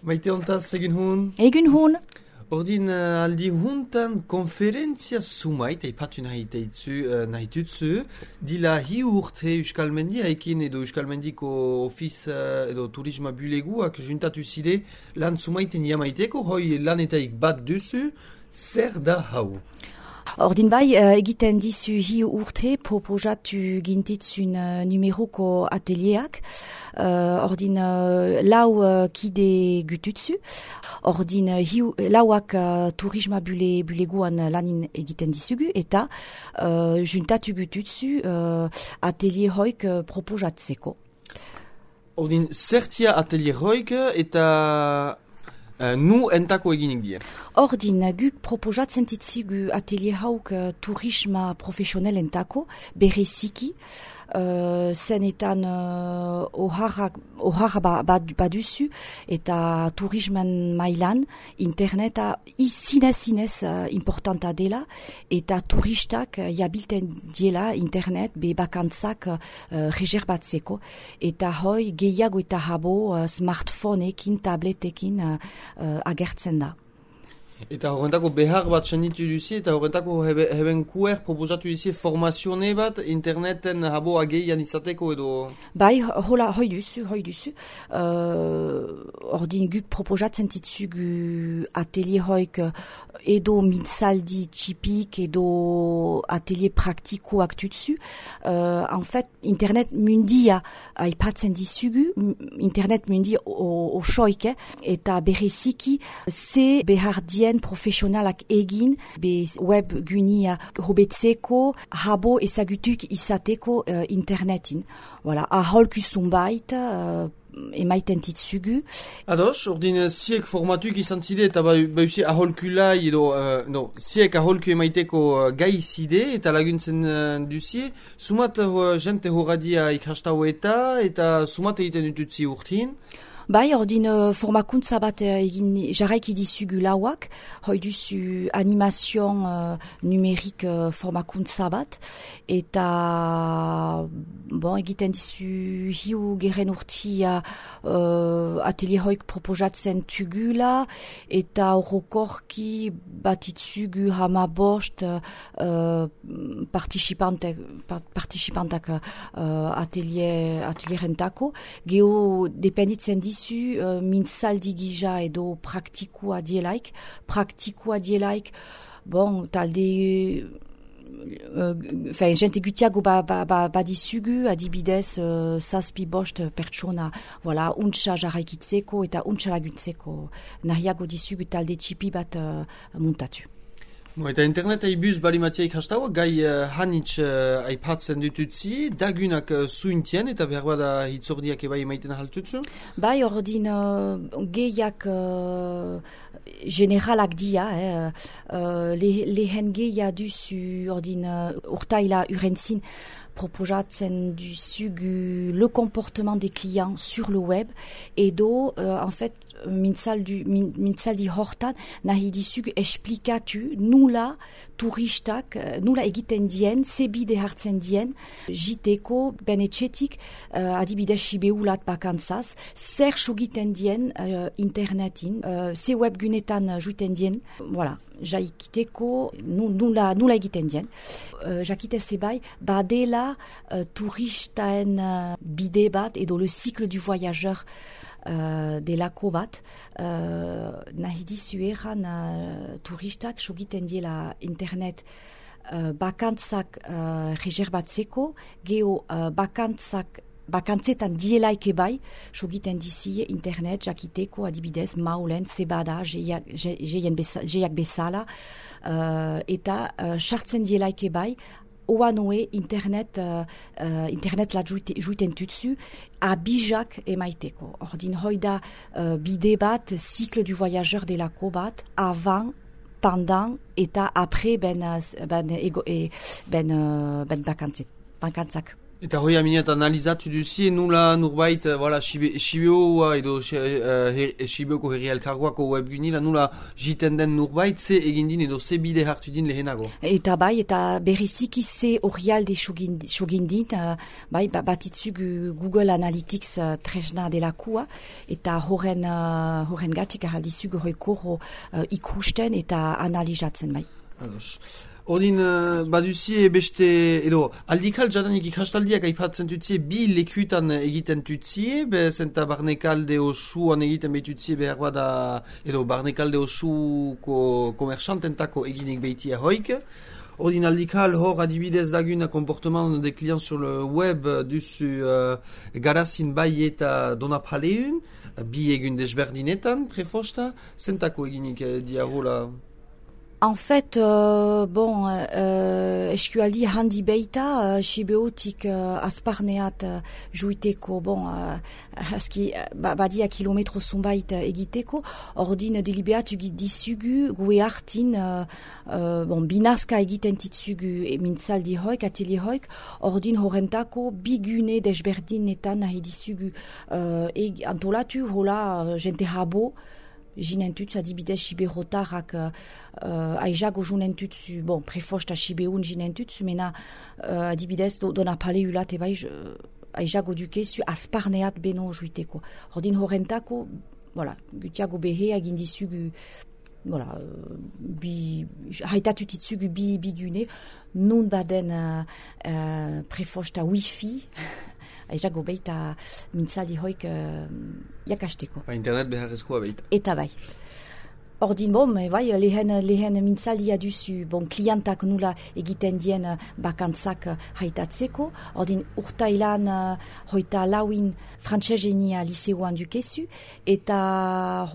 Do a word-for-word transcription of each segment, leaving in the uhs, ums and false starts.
Maite hontaz egin hun? Egin hun. Ordin uh, aldi huntan konferentzia sumait, eipatu nahi teitzu, uh, nahi tutzu, dila hi urte Euskalmendia ekin edo Euskalmendiko ofiz uh, edo turisma buleguak juntatu zide lan sumaiten jamaiteko, hoi lanetaik bat duzu, zer da hau? Ordin bai, uh, egiten dizu hi urte proposatu gintitzun uh, numeroko atelieak. Uh, ordin uh, lau uh, kide gututzu. Ordin uh, hi, lauak uh, turisma bule, buleguan lanin egiten dizugu. Eta uh, juntatu gututzu uh, atelier hoik uh, proposatzeko. Ordin zertia atelier hoik eta... Uh, nu entako eginik die. Ordin, guk proposatzen ditzigu atelier hauk uh, turisma profesional entako, bereziki, uh, zenetan uh, oharra ba, ba, baduzu, eta turisman mailan, interneta izinez-zinez uh, importanta dela, eta turistak uh, jabilten diela internet be bakantzak uh, reserbatzeko, eta hoi gehiago eta habo uh, smartphoneekin, tabletekin uh, uh, agertzen da. Eta horrentako behar bat senditu duzi, eta horrentako hebe, heben kuer proposatu duzi formazione bat interneten habo ageian izateko edo... Bai, hola, hoi duzu, hoi duzu. Uh, ordin guk proposatzen ditzugu atelier hoik edo mintzaldi txipik edo atelier praktikoak tutzu. Uh, en fait, internet mundia aipatzen dizugu, internet mundi osoik, eh, eta bereziki ze behar dien profesionalak egin, be web gunia hobetzeko, habo ezagutuk izateko uh, internetin. Voilà, aholku zunbait, uh, emaiten ditzugu. Ados, ordin ziek formatuk izan zide eta bauzi aholkulai edo, uh, no, ziek aholku emaiteko uh, gai zide eta laguntzen uh, duzie, sumat uh, jente horadia ikastau eta, eta sumat egiten dututzi urtin. Bai, ordin uh, formakuntza bat uh, egin jarraiki dizugu lauak, hoi duzu animazion uh, numerik uh, formakuntza bat, eta bon, egiten dizu hiu geren urtia uh, atelier hoik proposatzen tugula, eta horrokorki bat itzugu hama bost uh, participantek, participantak uh, atelier, atelierentako, geho dependitzen dizu Uh, mintzaldi gija edo praktikua dielaik. Praktikua dielaik, bon, talde... Enfin, uh, jente gutiago ba, ba, ba, badizugu, adibidez, uh, zazpi bost pertsona, voilà, untsa jarraikitzeko eta untsa laguntzeko. Nahiago dizugu talde txipi bat uh, muntatu. Bo, eta internet aibuz balimatiaik hastaua, gai uh, hanitz uh, aipatzen dututzi, dagunak uh, zuintien eta behar bada hitzordiak ebai emaiten ahaltutzu? Bai, ordin uh, gehiak uh, generalak dia, eh, uh, le, lehen gehiak duzu ordin uh, urtaila urentzin, proposatzen duzugu le comportement des clients sur le web, edo, uh, en fait, mintzaldi, min, mintzaldi hortan, nahi dizugu esplikatu nula turistak, nula egiten dien, zebide hartzen dien, jiteko, benetxetik, uh, adibidez sibeulat bakantzaz, zer sugiten dien uh, internetin, uh, ze webgunetan juiten dien, voilà. Jaikiteko, nula, nula egiten dien. Uh, jakite zebai, badela uh, turistaen uh, bide bat edo le cycle du voyageur uh, delako bat. Uh, nahi dizu eran uh, turistak sogiten diela internet uh, bakantzak uh, reserbatzeko, geho uh, bakantzak bakantzetan dielaike bai, sogiten dizie internet, jakiteko, adibidez, maulen, zebada, jeiak bezala, uh, eta sartzen uh, dielaike bai, oanoe internet, uh, uh, internet la juiten tutsu, abijak emaiteko. Ordin hoida uh, bide bat, cycle du voyageur delako bat, avant, pendant, eta apre ben, ben, ego, e, ben, uh, ben bakantzet, bakantzak. Eta hoi aminet analizatu duzie, nula nurbait, voilà, Sibeoa edo Sibeoko herri elkargoako webgunila, nula jiten den nurbait, ze egin din edo ze bide hartu din lehenago. Eta bai, eta berriziki ze orrialde sogindin, uh, bai, batitzug Google Analytics uh, tresna delakua, eta horren, uh, horren gatik ahaldizug horreko uh, ikusten eta analizatzen bai. Ados. Odin, uh, baduzie beste, edo, aldikal jadanik ikastaldiak aipatzen tutzie, bi lekutan egiten tutzie, be zenta barnekalde osuan egiten behitutzie behar bada, edo barnekalde osuko komersantentako eginik behitia hoik. Odin aldikal hor adibidez daguna comportement de clients sur le web duzu uh, garazin bai eta donapaleun, bi egun desberdinetan, prefosta, zentako eginik uh, diarola... En fait, euh, bon, euh, eskualdi handi beita, uh, Sibeotik uh, asparneat uh, juiteko, bon, uh, aski ba, badia kilometro zumbait uh, egiteko, ordin delibeat disugu gue hartin, uh, uh, bon, binazka egiten titzugu mintzaldi hoik, ateli hoik, ordin horrentako bigune desberdinetan nahi disugu uh, eg, antolatu hola uh, jente habo, jinentutsu adibidez Siberotarrak uh, aizago junentutsu, bon, prefosta Sibeun jinentutsu, mena uh, adibidez do, dona pale ulat ebai aizago dukezu asparneat beno juiteko. Ordin horrentako, voilà, gutiago behe agindizugu, voilà, bi, haitatutitzugu bi bigune, nun baden uh, uh, prefosta wifi, aizago beita mintzaldi hoik uh, jakasteko. Ba, internet beharrezkoa beita. Eta bai. Ordin bom, bai, lehen, lehen mintzaldia duzu, bon, klientak nula egiten dien bakantzak haitatzeko. Ordin urtailan uh, hoita lauin frantsesenia liseoan dukezu, eta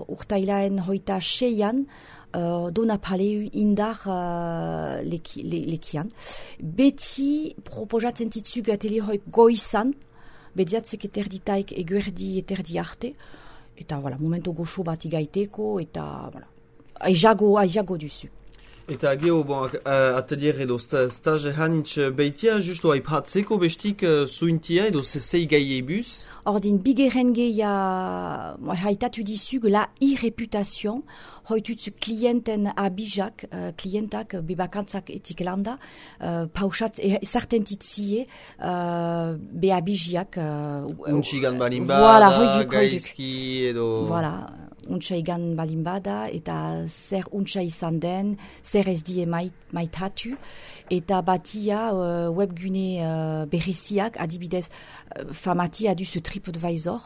urtailan hoita seian Uh, dona paleu indar uh, leki, le, lekian. Beti proposatzen titzug ateli hoik goizan, bediatzek eterditaik eguerdi eterdi arte, eta voilà, momento goxo bat igaiteko, eta voilà, aizago, aizago duzu. Eta geho, bon, uh, atelier edo stage hanitz beitia, justo aipatzeko bestik uh, zuintia edo zezei gaiebuz? Ordin, bigeren geia haitatu dizug la irreputation, hoitutzu klienten abijak, uh, klientak bebakantzak etik landa, uh, pausat ezarten titzie uh, be abijiak. Uh, Untxigan balimbada, voilà, hoiduk, gaizki edo... Voilà, untxa igan balimbada, eta zer untxa izan den, zer ez die mait, maitatu, eta batia uh, webgune uh, bereziak, adibidez uh, famatia du ce TripAdvisor,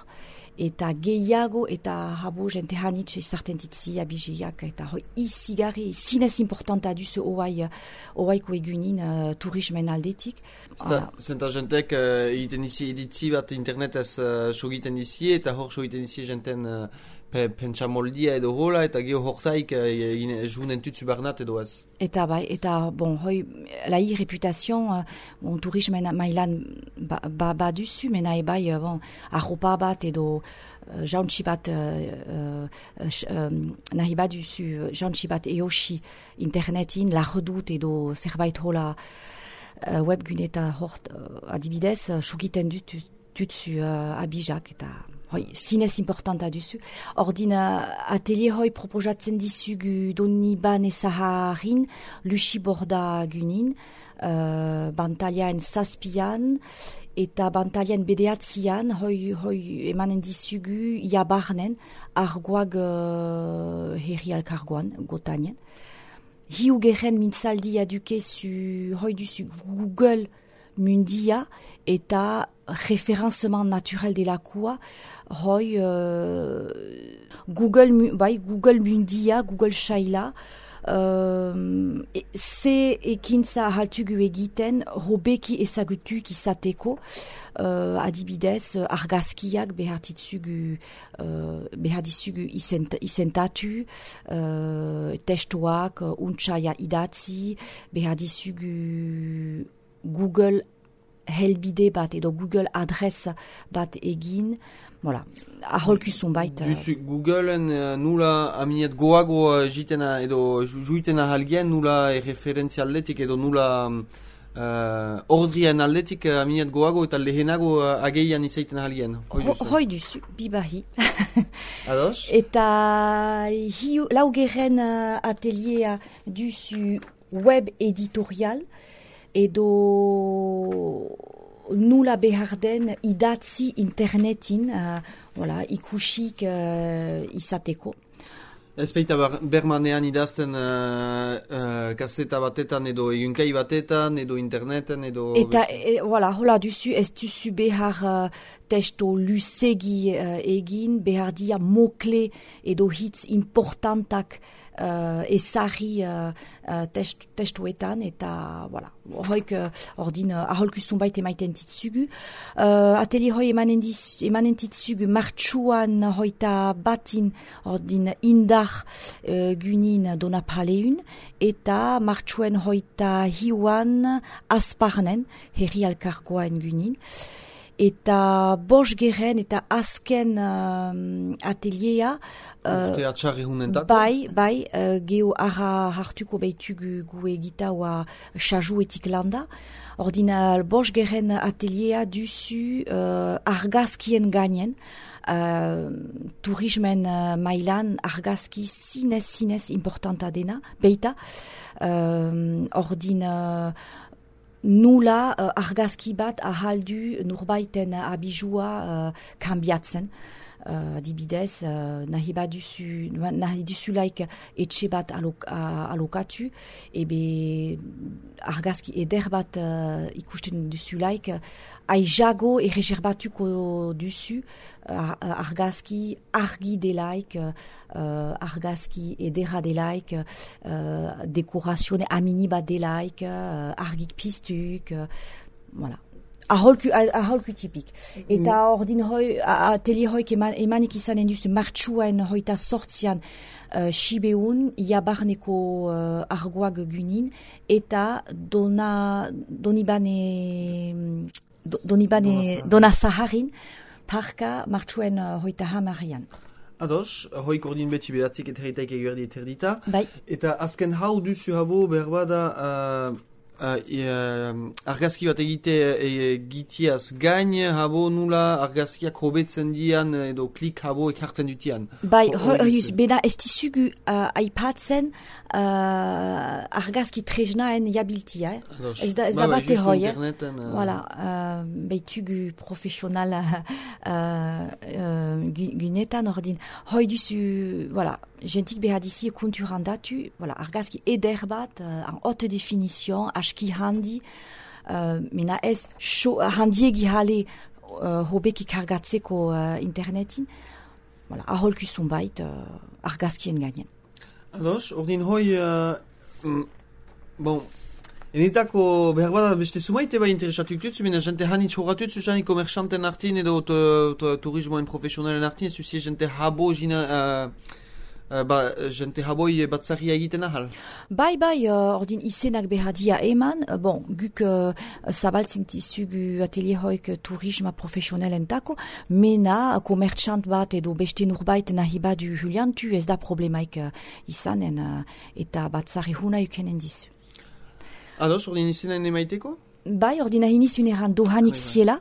eta gehiago eta habo jente hanitz izarten titzi abiziak, eta hoi izigarri, zinez importanta du ce oai, oaiko egunin uh, turismen aldetik. Zenta jentek uh, egiten izi editzi bat internetez uh, sogiten izi, eta hor sogiten izi jenten uh, pentsamoldia edo hola, eta geho hortaik uh, junen tutsu barnat edo ez. Eta bai, eta bon, hoi, la reputazioan, uh, bon, turismen mailan ba, ba, ba duzu, mena ebai, uh, bon, arropa bat edo uh, jauntsi bat, uh, uh, um, nahi bat duzu, uh, jauntsi bat eosi internetin, la redut edo zerbait hola uh, webgune eta hort, uh, adibidez, uh, sugiten dut tutsu uh, abijak, eta hoi, zinez importanta duzu. Ordin, atelier hoi proposatzen dizugu doni ban ezaharin, lusi borda gunin, uh, bantalian zazpian, eta bantalian bedeatzian, hoi, hoi emanen dizugu iabarnen, argoag uh, herri alkargoan, gotanien. Hiu geren mintzaldia dukezu, hoi duzu Google mundia, eta référencement naturel de la kua, hoi uh, Google, bai, Google mundia, Google shaila, uh, ze ekintza haltugu egiten, hobeki ezagutuk izateko, uh, adibidez, argazkiak behartitzugu, uh, behartitzugu izentatu, uh, testuak, untxaia idatzi, behartitzugu Google helbide bat edo Google adres bat egin, voilà, aholkuzun baita. Duzu Googleen uh, nula aminet goago uh, jitena edo juitena halgien nula referentzialetik edo nula um, uh, ordrien aldetik uh, aminat goago eta lehenago uh, ageian izaiten ahalien. Hoi duzu. Hoi duzu, bibahi. Ados? Eta hiu, laugeren uh, ateliera duzu web editorial edo nula behar den idatzi internetin, uh, voilà, ikusik uh, izateko. Ez baita bermanean idazten uh, uh, kaseta batetan edo egunkai batetan edo interneten edo... Eta, e, voilà, hola duzu, ez duzu behar uh, testo lusegi uh, egin, behar dia mokle edo hitz importantak uh, ezari uh, uh, test, testuetan, eta, voilà, hoik uh, ordin uh, aholkuzun baita emaiten titzugu. Uh, atelier hoi emanen, diz, emanen titzugu martxuan hoita batin ordin indar Uh, gunin donapaleun, eta martxuen hoita hiuan asparnen, herri alkargoaen gunin. Eta bos geren eta azken uh, ateliera uh, bai, bai, uh, geho ara hartuko behitugu gu egita oa xajuetik landa. Ordina bos geren ateliera duzu uh, argazkien gainen, Uh, turismen uh, mailan argazki zinez zinez importanta dena, beita, uh, ordin uh, nula uh, argazki bat ahaldu nurbaiten abijua uh, kambiatzen. Uh, adibidez, uh, nahi baduzu, nahi duzulaik etxe bat alok, uh, alokatu, ebe argazki eder bat uh, ikusten duzulaik, aijago erreserbatuko duzu uh, argazki argi delaik, uh, argazki edera delaik, uh, dekorazione amini bat delaik, uh, argik piztuk, uh, voilà. Aholku, aholku tipik. Eta mm. ordin hoi, atelier hoik eman, emanik izanen duzu martxuan hoita sortzian uh, Sibeun, iabarneko uh, argoak gunin, eta dona, donibane, do, donibane, dona zaharin, parka martxuan uh, hoita hamarian. Ados, hoik ordin beti bedatzik eta herritaik eguerdi eterdita. Bai. Eta azken hau duzu habo berbada... Uh, Uh, uh, argazki bat egite egitiaz e, gain, habo nula argazkiak hobetzen dian edo klik habo ekarten dutian. Bai, hoiuz, beda ez dizugu uh, aipatzen uh, argazki tresnaen jabiltia. Eh? Ados, ez da, ez ba, da bate hoi. Eh? Uh... Voilà, uh, behitugu profesional uh, uh, gunetan ordin. Hoi duzu, voilà, gentik behadizi konturandatu, voilà, argazki eder bat, uh, en haute définition, aski handi, uh, mena ez show, handiegi hale uh, hobeki kargatzeko uh, internetin, voilà, aholkuzun bait uh, argazkien gainen. Ados, ordin hoi, uh, mm, bon, enetako behar bada beste sumaite bai interesatu dutzu, mena jente hanitz horatutzu jani komerxanten artin edo turismoen profesionalen artin, ez duzie jente habo jina... Uh, Uh, ba, jente haboi batzaria egiten ahal? Bai, bai, uh, ordin izenak behadia eman, uh, bon, guk uh, zabaltzen tizugu atelier hoik turisma profesionalentako, mena komertxant bat edo beste nurbait nahi badu huliantu, ez da problemaik uh, izanen, uh, eta batzari huna ukenen dizu. Ados, ordin izenan emaiteko? Bai, ordina hinizun erran dohanik ziela,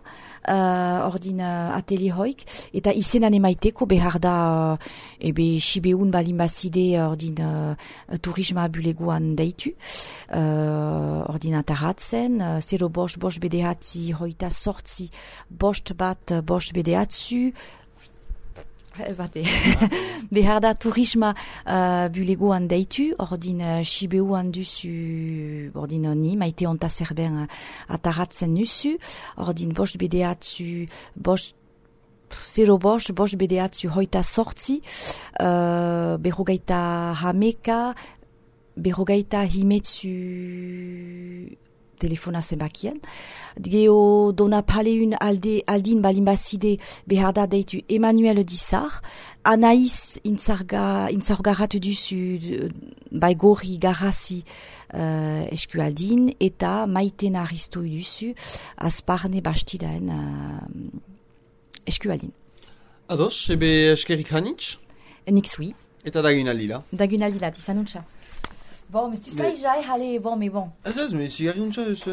uh, ordina atelier hoik, eta izenan emaiteko behar da, uh, ebe Sibeun balin bazide ordin uh, turisma bulegoan deitu, uh, ordina taratzen, uh, zero bost, bost bedehatzi, hoita sortzi, bost bat, bost bedehatzu, bate. Behar da turisma uh, bulegoan deitu, ordin uh, Sibeuan duzu, ordin ni, maite onta zerben uh, ataratzen nuzu, ordin bost bedeatzu, bost, zero bost, bost bedeatzu hoita sortzi, uh, berrogeita hameka, berrogeita himetzu telefona zenbakien. Geo dona paleun alde, aldin balin bazide behar da deitu Emmanuel Dizar, Anaïs intzarga, intzargaratu duzu bai gorri garrasi uh, eskualdin, eta maiten aristoi duzu azparne bastidaen uh, eskualdin. Ados, ebe eskerik hanitz? Nik zui. Eta dagunalila? Dagunalila, dizanuntza. Bon, mais tu sais, j'ai allé, bon, mais bon. Attends, mais c'est rien de ça.